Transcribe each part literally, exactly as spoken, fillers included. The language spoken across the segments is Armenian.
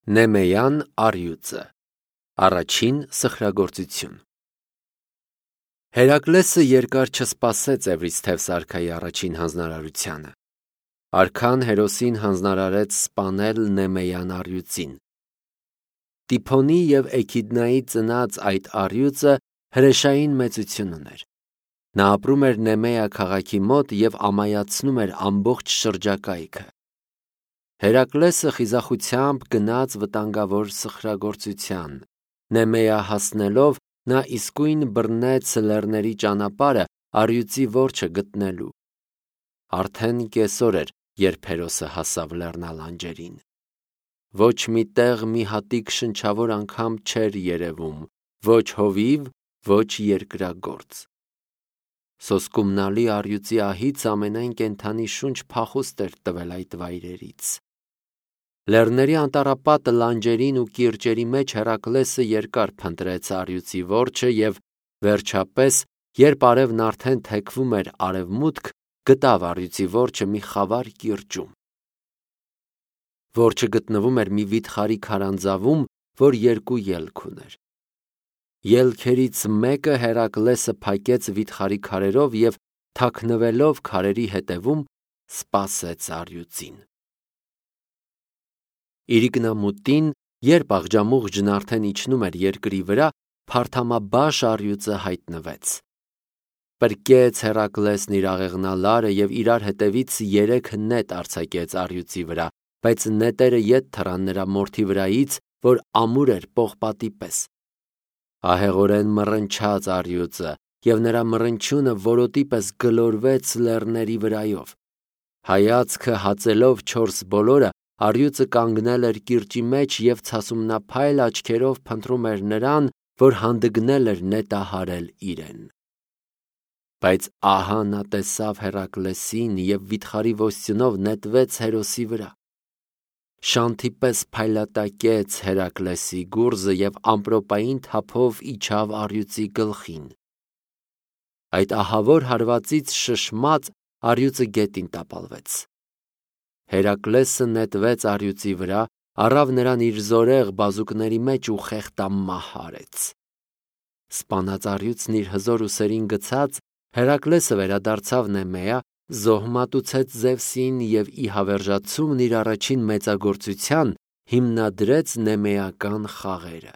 Նեմեյան առյուծը Առաջին սխրագործություն Հերակլեսը երկար չսպասեց Էվրիսթևս արքայի առաջին հանձնարարությանը։ Արքան Հերոսին հանձնարարեց սպանել Նեմեյան առյուծին։ Տիփոնի և Էքիդնայի ծնած այդ առյուծը հրեշային մեծություն ուներ։ Նա ապրում էր Նեմեա քաղաքի մոտ և ամայացնում էր ամբողջ շրջակայքը։ Հերակլեսը խիզախությամբ գնաց վտանգավոր սխրագործության։ Նեմեա հասնելով, նա իսկույն բռնեց լեռների ճանապարհը առյուծի որջը գտնելու։ Արդեն կեսօր էր, երբ Հերոսը հասավ լեռնալանջերին։ Ոչ մի տեղ մի հատիկ շնչավոր անգամ չէր երևում, ոչ հովիվ, ոչ երկրագործ։ Սոսկումնալի առյուծի ահից ամենայն կենդանի շունչ փախուստ էր տվել այդ վայրերից։ Լեռների անտառապատ լանջերին ու կիրճերի մեջ Հերակլեսը երկար փնտրեց առյուծի որջը և, վերջապես, երբ արևն արդեն թեքվում էր արևմուտք, գտավ առյուծի որջը մի խավար կիրճում։ Որջը գտնվում էր մի վիթխարի քարանձավում, որ երկու ելք ուներ։ Ելքերից մեկը Հերակլեսը փակեց վիթխարի քարերով և, թաքնվելով քարերի հետևում, սպասեց առյուծին։ Իրիկնամուտին, երբ աղջամուղջն արդեն իջնում էր երկրի վրա, փարթամաբաշ առյուծը հայտնվեց։ Պրկեց Հերակլեսն իր աղեղնալարը և իրար հետևից երեք նետ արձակեց առյուծի վրա, բայց նետերը ետ թռան նրա մորթի վրայից, որ ամուր էր պողպատի պես։ Ահեղորեն մռնչաց առյուծը, և նրա մռնչյունը որոտի պես գլորվեց լեռների վրայով։ Հայացքը հացելով չորս բոլորը, առյուծը կանգնել էր կիրճի մեջ և ցասումնափայլ աչքերով փնտրում էր նրան, որ հանդգնել էր նետահարել իրեն։ Բայց ահա նա տեսավ Հերակլեսին և վիթխարի ոստյունով նետվեց Հերոսի վրա։ Շանթի պես փայլատակեց Հերակլեսի գուռզը և ամպրոպային թափով իջավ առյուծի գլխին։ Այդ ահավոր հարվածից շշմած առյուծը գետին տապալվեց։ Հերակլեսը նետվեց առյուծի վրա, առավ նրան իր զորեղ բազուկների մեջ ու խեղդամահ արեց։ Սպանած առյուծն իր հզոր ուսերին գցած, Հերակլեսը վերադարձավ Նեմեա, զոհմատուցեց Զևսին և ի հավերժացումն իր առաջին մեծագործության հիմնադրեց նեմեական խաղերը։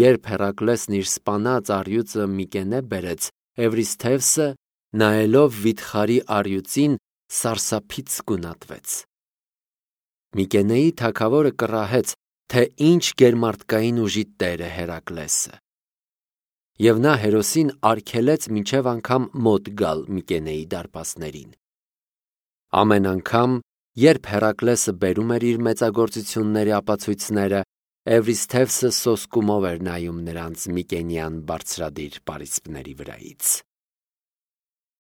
Երբ Հերակլեսն իր սպանած առյուծը Միկենե բերեց, Էվրիսթևսը, նայելով վիթխարի առյուծին, սարսափից գունատվեց։ Միկենեի թագավորը կռահեց, թե ինչ գերմարդկային ուժի տեր է Հերակլեսը։ Եվ նա Հերոսին արգելեց մինչև անգամ մոտ գալ Միկենեի դարպասներին։ Ամեն անգամ, երբ Հերակլեսը բերում էր իր մեծագործությունների ապացույցները, Էվրիսթևսը սոսկումով էր նայում նրանց միկենյան բարձրադիր պարիսպների վրայից։